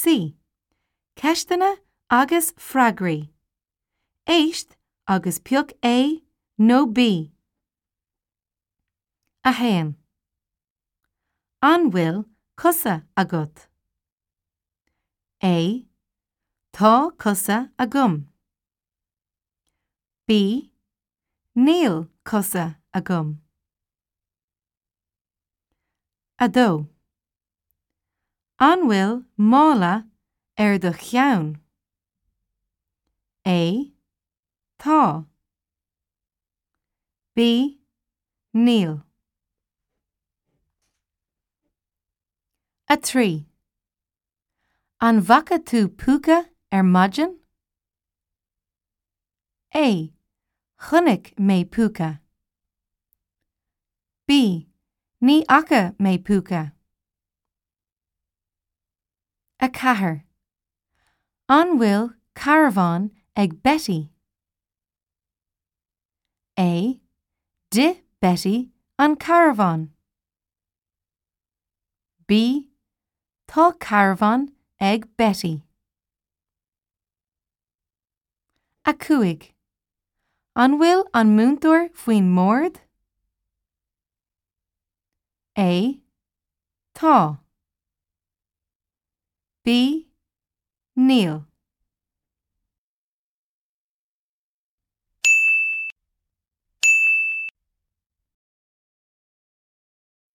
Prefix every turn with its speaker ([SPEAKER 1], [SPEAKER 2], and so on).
[SPEAKER 1] C, Ceisteanna agus freagraí. Éist agus pioc A nó B. 1. An bhfuil cosa agat? A, Tá cosa agam. B, Níl cosa agam. 2. An bhfuil mála ar do cheann? A, Tá. B, Níl. 3. An bhfaca tú púca ar maidin? A, Chonaic mé púca. B, Ní fhaca mé púca. 4. An bhfuil carbhán ag Betty? A, D'ith Betty an carbhán. B, Tá carbhán ag Betty. 5. An bhfuil an múinteoir faoin mbord? A, Tá. B, Níl.